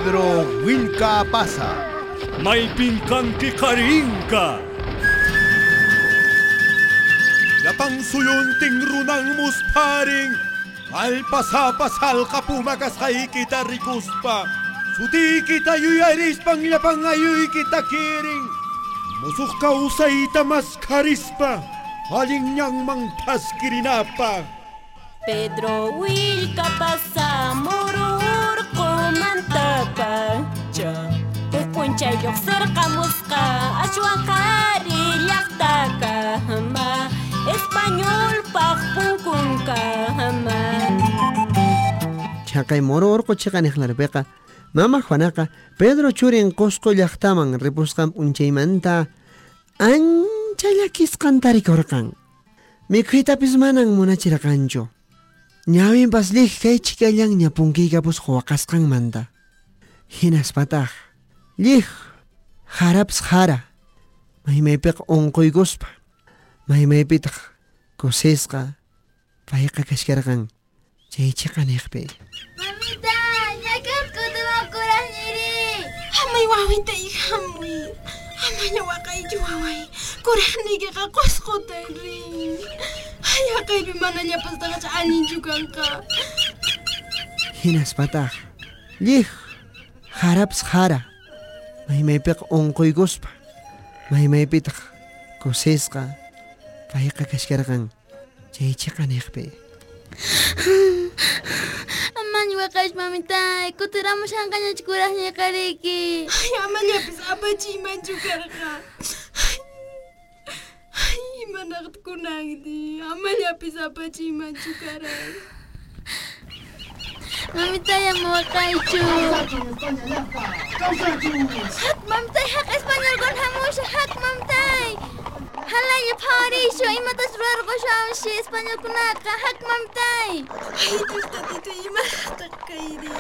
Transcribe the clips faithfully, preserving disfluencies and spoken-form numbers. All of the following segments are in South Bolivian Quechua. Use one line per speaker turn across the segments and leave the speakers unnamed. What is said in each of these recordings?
Pedro Vilcapaza.
Maypin kanki qarinka.
Llapan suyuntin runan musparin. Allpasapa salqa puma kasqaykita rikuspa. Sutiykita yuyarispan llapan ayuykita kirin. Musuq kawsayta maskharispa. Allin ñanman thaskirinapaq.
Pedro Vilcapaza muru urqumantapacha. Huk p'unchay lluqsirqamusqa ashwan qhari llaqtakama. Españolpaq punkunkama.
Chaqay moro urqu chiqaniqlarpiqa Mama Juanaqa Pedro churin Qusqu llaqtaman ripusqan p'unchaymanta ancha llakisqan tarikurqan. Mikhuytapis manan munachirqanchu. Ñawinpas llij kay chikallanña punkiykapusqa waqasqanmanta. Hinaspataq llij harapas hara maymaypiqa unquykuspa maymaypitaq kusisqa payqa kashkarqan chay chiqaniqpi.
Mamita, ñakat kutimukuraqñiri.
Hamuy wawita hamuy. Amaña waqaychu waway. Kuraqniykiqa Qusquta rin. Ay, haqaypi mana llapastaqacha allinchu kanqa.
Hinaspataq llij harapas hara maymaypiqa unquykuspa maymaypitaq kusisqa payqa kashkarqan chay chiqaniqpi.
Amaña waqaychu mamitay, kutiramushanqañachu kuraqñiqariki.
Ay, amallapis apachiymanchu karqa. Ay, imanaqta kunanti, amallapis apachiymanchu karay.
Mamitay, ama waqaychu. Hak mamitay, hak españolkuna hamusha, hak mamitay. Halaya phawarishu, imatas rurarqushawanshi españolkunaqa, hak mamitay.
Ay, Dios tatito, imaraqtaq kayri.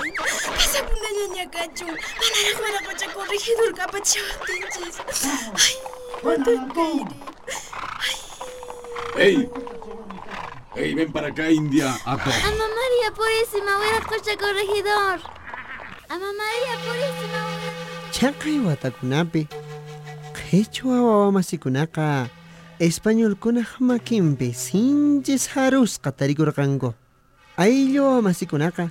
Pasapunallaña kachun, manaraq wiraqocha corregidorqa apachishawaqtinchis. Ay, imataq kayri.
¡Ey! ¡Ey, ven para acá, India! ¡Ato!
Ama María Purísima, wiraqocha corregidor. Ama María Purísima, wiraqocha.
Chaqay watakunapi qhichwa wawamasikunaqa españolkunaq makinpi sinchi sarusqa tarikurqanku. Ayllu wawamasikunaqa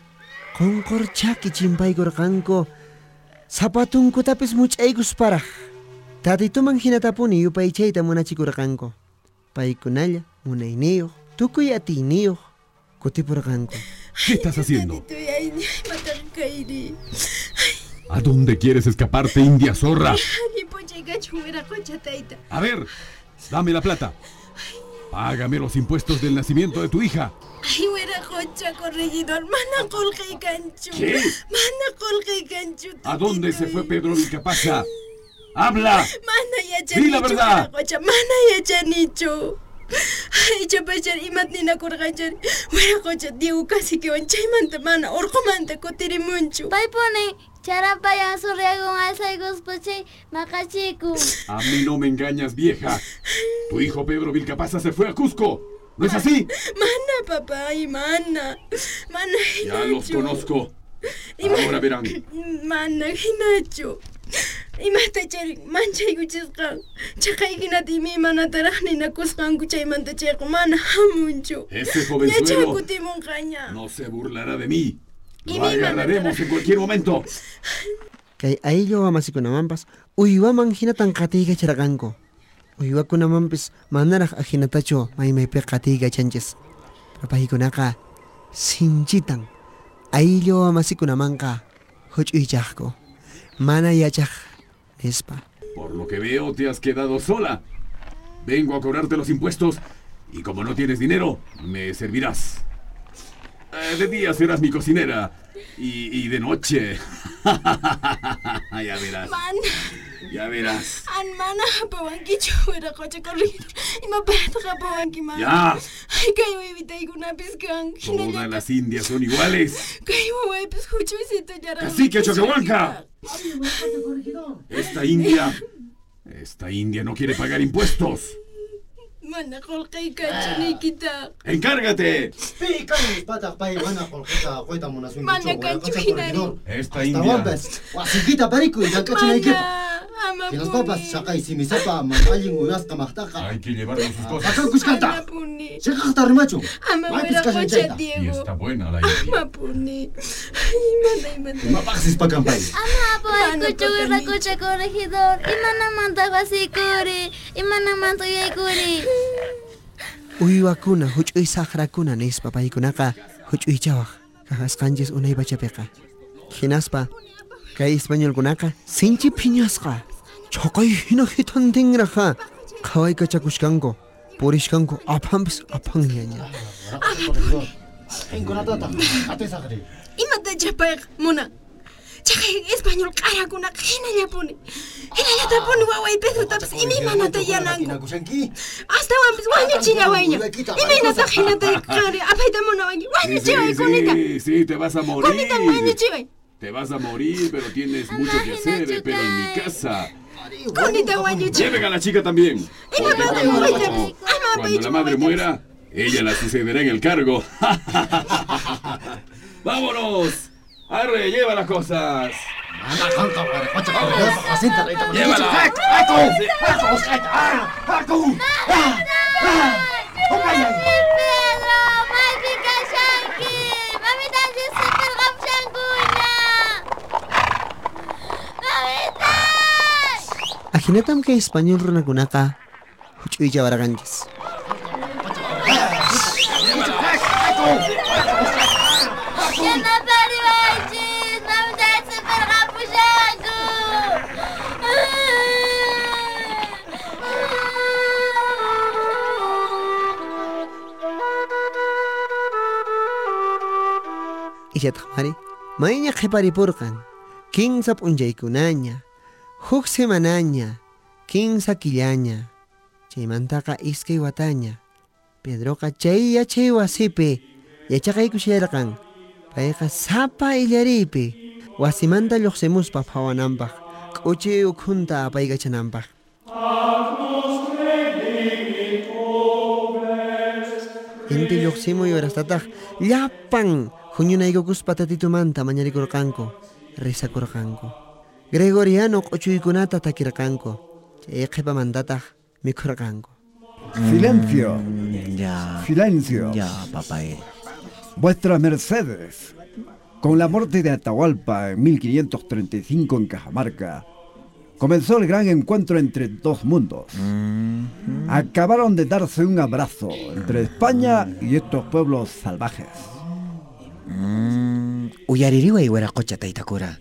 qunqurchaki chimpaykurqanku zapatunkutapis much'aykusparaq. Tatituman hinatapuni yupaychayta munachikurqanku. Paykunalla munayniyuq tukuy atiyniyuq kutipurqanku.
¿Qué estás haciendo?
Ay,
¿A dónde quieres escaparte, India zorra? A ver, dame la plata. Págame los impuestos del nacimiento de tu hija.
Ay, wiraqocha corregidor, mana qullqiy kanchu.
¿Qué?
Mana qullqiy kanchu.
¿A dónde se fue Pedro Vilcapaza? ¡Habla!
Mana
¡Di la
yachanichu,
verdad!
wiraqocha, mana yachanichu. Ay, chapachar imat ninakurqanchari. Wiraqocha Diego caciquewan chaymanta mana urqumanta kutirimunchu.
Paypuni charapayan surriagun alzaykuspa chay maqachikun.
A mí no me engañas, vieja. Tu hijo Pedro Vilcapaza se fue a Cusco. ¿No es así?
Mana, papá, ay, mana. Mana,
Ya los
hinachu.
conozco.
Ima-
Ahora verán.
Mana, hinachu. Imata chari manchaykuchisqan. Chaqay hinata imaymanataraq ninakusqanku chaymanta chayqa mana hamunchu.
Ese
Ñacha
jovenzuelo
kutimunqaña.
no se burlará de mí.
Y
Lo
mi mamá
agarraremos en cualquier momento.
Kay ayllu wamasikunamanpas uywaman hinatan qatiykacharqanku. Uywakunamanpis manaraq ahinatachu maymaypiqa qatiykachanchis. Pero paykunaqa sinchitan ayllu wamasikunamanqa huch'uychaqku. Mana yachaq nispa.
Por lo que veo, te has quedado sola. Vengo a cobrarte los impuestos y como no tienes dinero, me servirás. Eh, de día serás mi cocinera y, y de noche. Ya verás.
Mana,
Ya verás.
an mana hapawankichu wiraqocha corregidor. Imapaqtaq hapawanki mana.
¡Ya!
Ay, kay wawitaykunapis kan.
Todas las indias son iguales.
Kay wawaypis huch'uysitullaraq.
¡Cacique Choquehuanca! Esta india... Esta india no quiere pagar impuestos.
Mana qolqey kanchu niykitaq.
¡Encárgate!
Pi kani pay mana qolqeta qoyta munasunkichu.
Mana kanchu hinari.
Esta india.
Wasiykita parikuy llank'achinaykipaq.
Hinaspapas
chaqay simisapa mana allin uywasqa maqtaqa.
Hay que llevarnos sus cosas.
Pakankushkanta. Chiqaqta rimachun.
Ama wiraqocha Diego.
Y está buena la india.
Amapuni. Mana imata.
Imapaqsis pakanpay.
Ama apawaykuchu wiraqocha corregidor. Imanamanta wasikuri. Imanamanta uyaykuri.
Uywakuna huch'uy saqrakuna nispa paykunaqa huch'uychawaq kajasqanchis unay pachapiqa. Hinaspa kay españolkunaqa sinchi phiñasqa chaqay hina hitantinraqa qhawaykachakushkanku purishkanku aphanpis aphanllaña.
Qinkunatataq atisaqri.
Imatacha payqa munan. Chaqay español q'arakunaqa hinallapuni. Hinallatapuni waway Pedrotapas imaymanata yananku. Astawanpis wañuchillawayña. Imaynataq hinata qanri apayta munawanki. Wañuchiway kunita.
Sí, sí, te vas a morir.
Kunita wañuchiway.
Te vas a morir, pero tienes mucho que hacer, pero en mi casa.
Kunita wañuchiway.
Lleven a la chica también. Porque cuando, cuando la madre muera, ella la sucederá en el cargo. ¡Vámonos! ¡Arre, lleva las cosas! ¡Llévala!
Pedro, maypi kashanki. Mamitanchis sipirqapushankuña. Mamitay!
Ajinatam kay español runakunaqa huch'uychawarqanchis.
Yanapariwaychis, mamitanchis sipirqapushanku.
Ichataq mari mayña qhiparipurqan kinsa p'unchaykunaña huk semanaña kinsa killaña chaymantaqa iskay wataña Pedroqa chay yachay wasipi yachaqaykushallarqan payqa sapa illariypi wasimanta lluqsimuspa phawananpaq k'uchi ukhunta apaykachananpaq. Inti lluqsimuy horastataq llapan huñunaykukuspa tatitumanta mañarikurqanku risakurqanku Gregoriano q'uchuykunata takirqanku chay qhipamantataq mikhurqanku.
Silencio.
Ya.
Silencio.
Ya, papá.
Vuestras mercedes. Con la muerte de Atahualpa en mil quinientos treinta y cinco en Cajamarca, comenzó el gran encuentro entre dos mundos.
Mm-hmm.
Acabaron de darse un abrazo entre España y estos pueblos salvajes.
Mm, uyaririway wiraqocha taytakura.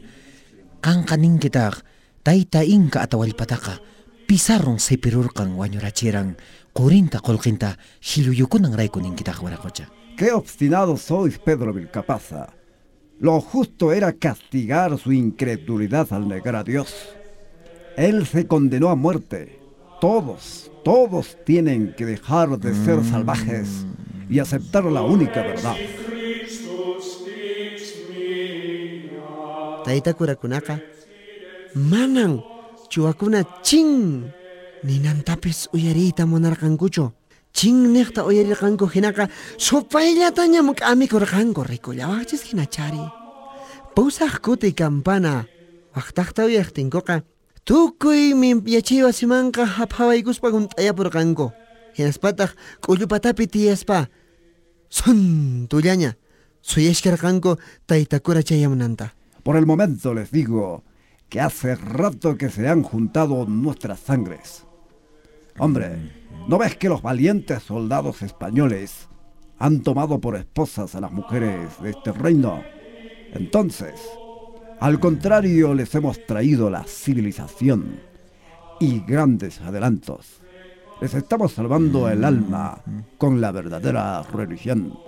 Qanqa ninkitaq tayta inka Atahualpataqa Pizarron sipirurqan wañurachiran qurinta qullqinta shilluyukunanrayku ninkitaq wiraqocha.
Qué obstinado sois, Pedro Vilcapaza. Lo justo era castigar su incredulidad al negar a Dios. Él se condenó a muerte. Todos, todos tienen que dejar de ser salvajes y aceptar la única verdad.
Tayta kurakunaqa manan chuwakuna chin ninantapis uyariyta munarqankuchu. Chin niqta uyarirqanku hinaqa supayllatañam k'amikurqanku rikullawaqchis hinachari. Pusaq kuti campana waqtaqta uyaqtinkuqa tukuymi yachay wasimanqa haphawaykuspa hunt'ayapurqanku. Hinaspataq k'ullupatapi tiyaspa suntullaña suyashkarqanku taytakura chayamunanta.
Por el momento les digo que hace rato que se han juntado nuestras sangres. Hombre, ¿no ves que los valientes soldados españoles han tomado por esposas a las mujeres de este reino? Entonces, al contrario, les hemos traído la civilización y grandes adelantos. Les estamos salvando el alma con la verdadera religión.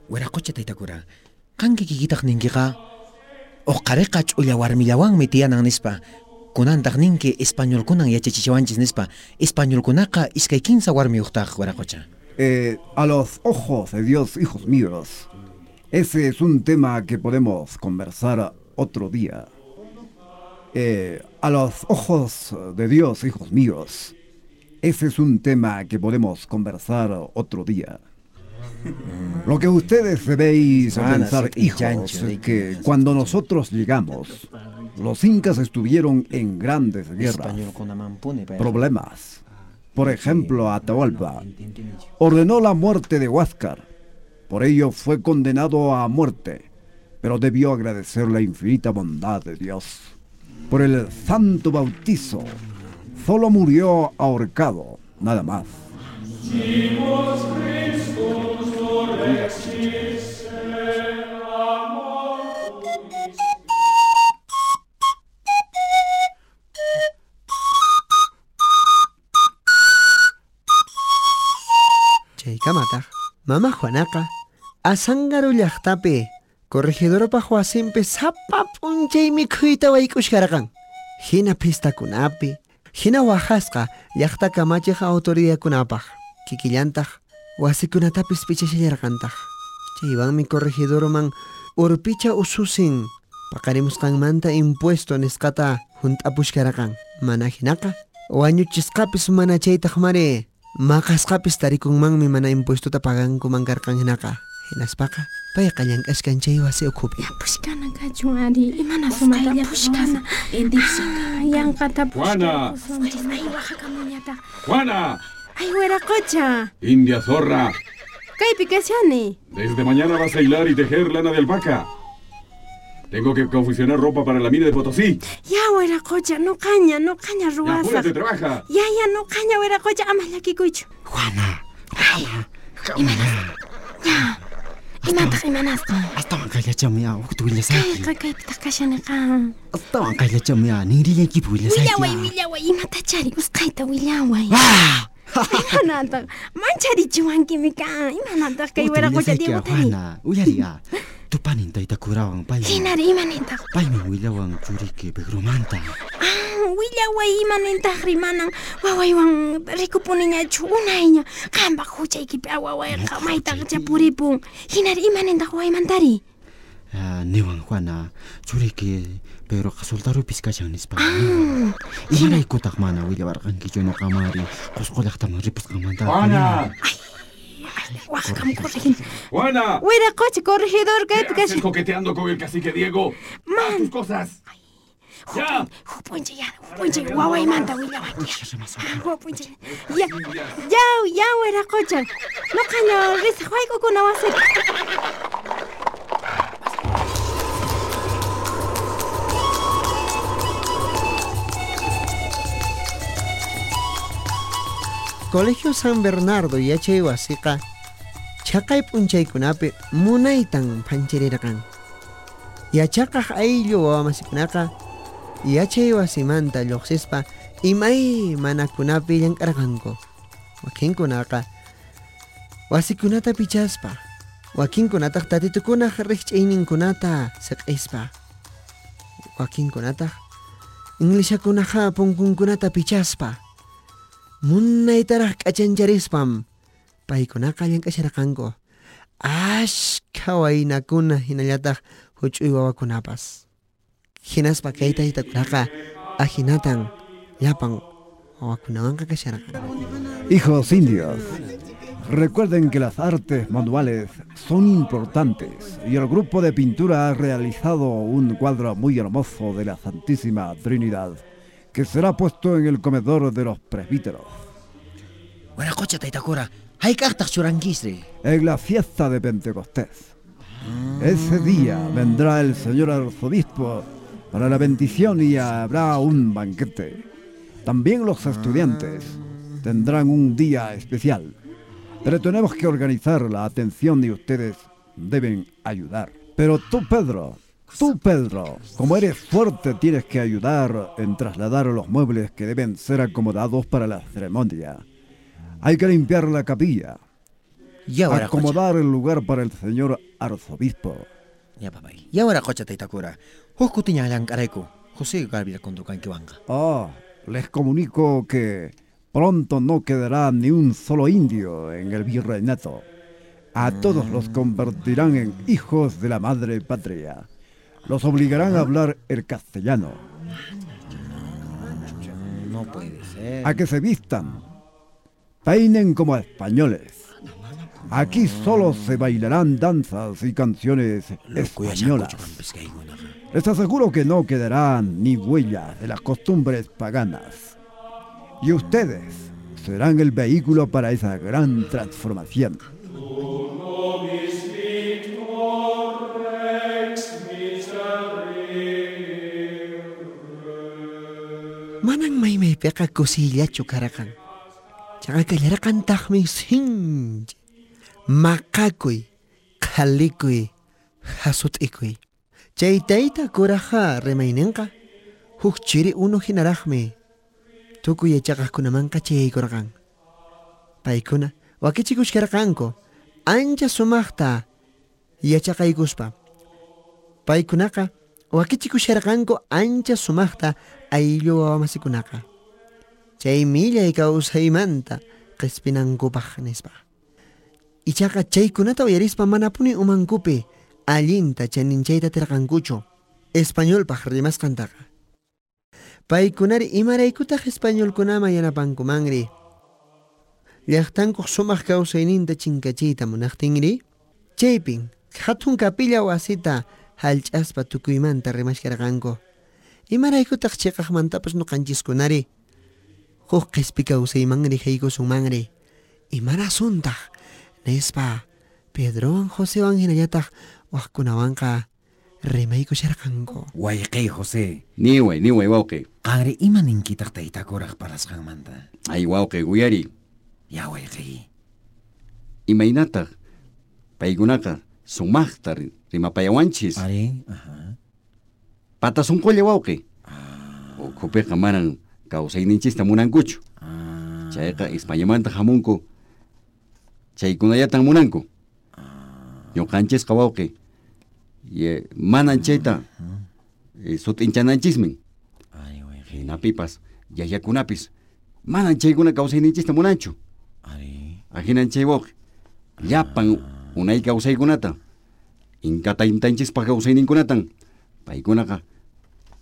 Wiraqocha taytakura, qanki kikitaq ninkiqa uqariqa ch'ulla warmillawanmi tiyanan nispa. Kunantaq ninki españolkunan yachachichawanchis nispa. Españolkunaqa iskay kinsa warmiyuqtaq wiraqocha.
Eh, a los ojos de Dios, hijos míos, ese es un tema que podemos conversar otro día. Eh, a los ojos de Dios, hijos míos, Ese es un tema que podemos conversar otro día. Lo que ustedes debéis pensar, hijos, es que cuando nosotros llegamos, los incas estuvieron en grandes guerras, problemas. Por ejemplo, Atahualpa ordenó la muerte de Huáscar. Por ello fue condenado a muerte, pero debió agradecer la infinita bondad de Dios por el santo bautizo. Solo murió ahorcado, nada más.
Chaykamataq mama Juanaqa Azángaro llaqtapi corregidorpaq wasinpi sapa p'unchay mikhuyta wayk'ushkarqan. Hina fiestakunapi, hina waqasqa llaqta kamachiq autoridadkunapaq, kikillantaq wasikunatapis pichashallarqantaq. Chaywanmi corregidorman urpicha ususin paqarimusqanmanta impuesto nisqata hunt'apushkarqan. Mana hinaqa wañuchisqapis mana chaytaq mari maqasqapis tarikunmanmi mana impuestota pagankuman karqan hinaqa. Hinaspaqa payqa llank'ashkan chay wasi ukhupi.
Pushkana kachun ari, imana sumata pushkana. Yanqata
Juana.
Ay, waqakamuñataq.
Juana.
Ay, wiraqocha.
India zorra.
Kaypi kashani.
Desde mañana vas a hilar y tejer lana de alpaca. Tengo que confeccionar ropa para la mina de Potosí.
Ya, wiraqocha, no caña, no caña ruwasaq.
Ya, apúrate, trabaja.
Ya, ya, no caña, wiraqocha, ama llakikuychu.
Juana, Juana, Juana.
Ya. Imataq imanasqa.
Astawan kayllachami hukta willasayki.
Kayqa kaypitaq kashaniqa.
Astawan kayllachami ninrillaykipi willasayki.
Willaway, willaway, imatachari usqhayta willaway. Imanataq mancharichiwankimi kan. Imanataq kay wiraqocha Diegotari.
Juana, uyariya. Tupanin tayta kurawan paymi.
Hinari imanintaq.
Paymi willawan churiki Pedromanta.
Ah, willaway imanintaqri manan wawaywan rikupuniñachu unayña. Qampaq huchaykipi wawayqa maytaqcha puripun. Hinari imanintaq wawaymantari.
Ah, niwan Juana, churiki Pedroqa soldarupis kashan nispa. Ah, imaraykutaq mana willawarqankichu ñuqamari Qusqu llaqtaman ripusqanmanta.
Juana.
Waqam corregidor.
Juana.
Wiraqocha corregidor kaypi kashan.
¿Qué haces coqueteando con el cacique Diego?
Man.
¡Haz tus cosas! ¡Ya!
Hupuncha ya, hupuncha wawaymanta willawanki. Hupuncha. Ya, ya, ya wiraqocha. Nuqaña risaq wayk'ukuna wasita.
Colegio San Bernardo yachay wasiqa chaqay p'unchaykunapi munaytan phanchirirqan. Yachaqaq ayllu wawamasikunaqa yachay wasimanta lluqsispa imaymanakunapi llank'arqanku. Wakinkunaqa wasikunata pichaspa, wakinkunataq tatitukunaq riqch'ayninkunata siq'ispa, wakinkunataq inglishakunaqa punkunkunata pichaspa. Munaytaraq k'achancharispam paykunaqa llank'asharqanku ashkha waynakuna hinallataq huch'uy wawakunapas. Hinaspa kay taytakunaqa ahinatan llapan wawakunawanqa kasharqan.
Hijos indios, recuerden que las artes manuales son importantes y el grupo de pintura ha realizado un cuadro muy hermoso de la Santísima Trinidad que será puesto en el comedor de los presbíteros.
Wiraqocha taytakura, hayk'aqtaq churankisri.
En la fiesta de Pentecostés. Ese día vendrá el señor arzobispo para la bendición y habrá un banquete. También los estudiantes tendrán un día especial. Pero tenemos que organizar la atención y ustedes deben ayudar. Pero tú, Pedro, tú, Pedro, como eres fuerte, tienes que ayudar en trasladar los muebles que deben ser acomodados para la ceremonia. Hay que limpiar la capilla.
Ya,
acomodar el lugar para el señor arzobispo.
Ya, papay. Ya wiraqocha taytakura. Huk kutiña llank'arayku. José Gabriel kunturqankiwanqa.
Oh, les comunico que pronto no quedará ni un solo indio en el virreinato. A todos los convertirán en hijos de la madre patria. Los obligarán a hablar el castellano.
No, no puede ser.
A que se vistan peinen como españoles. Aquí solo se bailarán danzas y canciones españolas. Les aseguro que no quedarán ni huellas de las costumbres paganas. Y ustedes serán el vehículo para esa gran transformación.
Manan maymaypiqa kusillachu karqan. Chaqa kallarqantaqmi sinchi maqakuy, qhalikuy, hasut'ikuy. Chay tayta kuraqa rimayninqa huk chiri unu hinaraqmi tukuy yachaqaqkunamanqa chayaykurqan. Paykuna wakichikushkarqanku ancha sumaqta yachaqaykuspa. Paykunaqa wakichikusharqanku ancha sumaqta ayllu wawamasikunaqa. Chay millay kawsaymanta qispinankupaq nispa. Ichaqa chaykunata uyarispa manapuni umankupi allinta chaninchayta atirqankuchu españolpaq rimasqantaqa. Paykunari imaraykutaq españolkunaman yanapankumanri? Llaqtankuq sumaq kawsayninta chinkachiyta munaqtinri? Chaypin hatun kapilla wasita hallch'aspa tukuymanta rimashkarqanku. Imaraykutaq chiqaqmantapas ñuqanchiskunari huk qhispi kawsaymanri haykusunmanri? Imarasuntaq nispa Pedrowan Josewan hinallataq waqkunawanqa rimaykusharqanku.
Wayqey José.
Niway, niway wawqi.
Qanri ima ninkitaq tayta kuraq parlasqanmanta?
Ay wawqi, uyari.
Ya wayqey.
Imaynataq paykunaqa sumaqta rimapayawanchis.
Ari, aha.
Pata sunqulla wawqi.
Ah.
Ukhupiqa manan kawsayninchista munankuchu.
Ah.
Chayqa Españamanta hamunku. Chaykunallatan munanku.
Ah.
Ñuqanchisqa wawqi. Ye, manan chayta eh, sut'inchananchismin.
Ari wayqey.
Hinapipas, yayakunapis manan chaykuna kawsayninchista munanchu.
Ari.
Ahinan chay wawqi. Llapan unay kawsaykunata Inka taytanchispaq kawsayninkunatan paykunaqa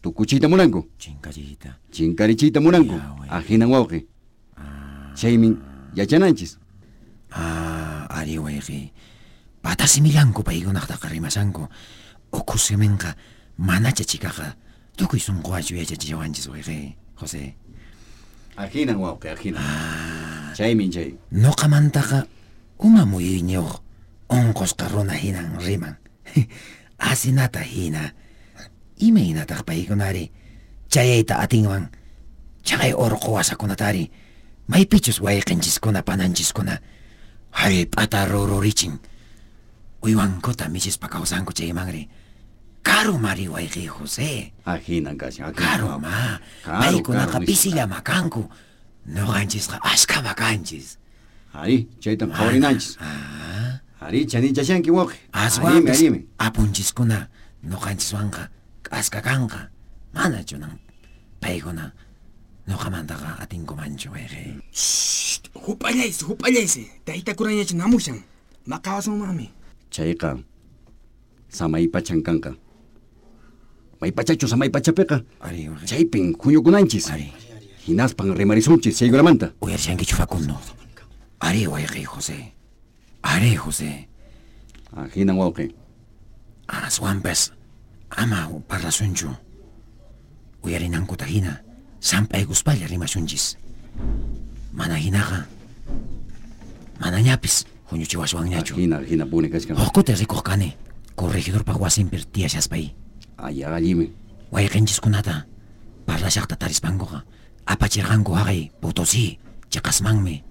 tukuchiyta munanku.
Chinkachiyta.
Chinkarichiyta munanku.
Ya, wayqey.
Ahinan wawqi. Chaymin yachananchis.
Ah, ari wayqey. Patasimillanku paykunaqtaqa rimashanku. Ukhu siminqa manacha chikaqa tukuy sunquwachu yachachiwanchis wayqey, José.
Ahinan wawqi, ahinan.
Ah.
Chaymin chay.
Nuqamantaqa uma muyuyñiyuq unqusqa runa hinan riman. Asinata hina. Imaynataq paykunari chayayta atinwan chaqay urqu wasakunatari maypichus wayqinchiskuna pananchiskuna hallp'ata rururichin uywankuta michispa kawsanku chaymanri. Karu mari wayqiy José.
Ahinan kashan, ahinan.
Karu ma.
Karu,
Paykunaqa
karu,
pisillama kanku. Nuqanchisqa ashkama kanchis.
Ari, chaytan qhawarinanchis.
Ah.
Ari, chaninchashanki wawqi.
Aswanpis
Arimi, arimi.
apunchiskuna nuqanchiswanqa k'aska kanqa. Mana chunan paykuna nuqamantaqa atinkumanchu wayqiy.
Shh, hup'allaysi, hup'allaysi. Tayta kurañachu namushan. Maqawasunmanmi.
Chayqa samaypachan kanqa. Maypachachu samaypachapiqa.
Ari, wayqiy.
Chaypin huñukunanchis.
Ari.
Hinaspan rimarisunchis chaykunamanta.
Uyarishankichu Facundo? Ari wayqiy José. Ari José.
Ahinan wawqi.
Aswanpas ama parlasunchu. Uyarinankuta hina samp'aykuspalla rimasunchis. Mana hinaqa manañapis huñuchiwaswanñachu.
Ahina, ahinapuni kachkan.
Huk kuti rikuq kani corregidorpaq wasinpi tiyashaspay.
Ay, allimi.
Wayqinchiskunata parlashaqta tarispankuqa apachirqanku haqay Potosí chiqasmanmi.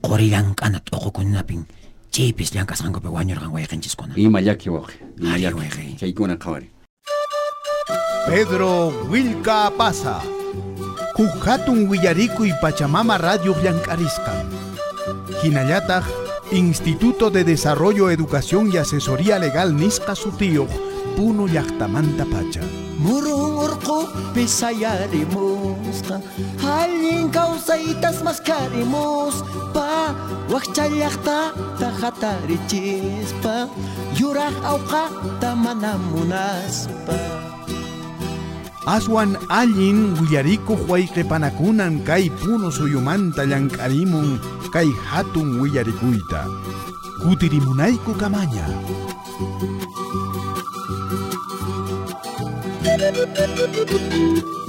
Quri llank'ana t'uqukunapin chaypis llank'asqankupi wañurqan wayqinchiskuna.
Ima llaki wawqi. Ima
Ari,
llaki.
wayqiy.
Chaykuna qhawari.
Pedro Wilka Pasa. Huk hatun willarikuy Pachamama Radio llank'arisqan. Hinallataq Instituto de Desarrollo, Educación y Asesoría Legal nisqa sutiyuq Puno llaqtamanta pacha.
Murun urqupi sayarimusqa, allin kawsaytas maskarimuspa, wakcha llaqtata hatarichispa, yuraq awqata mana munaspa.
Aswan allin willarikuq wayqipanakunan kay Puno suyumanta llank'arimun kay hatun willarikuyta. Kutirimunayku kamaña.
Thank you.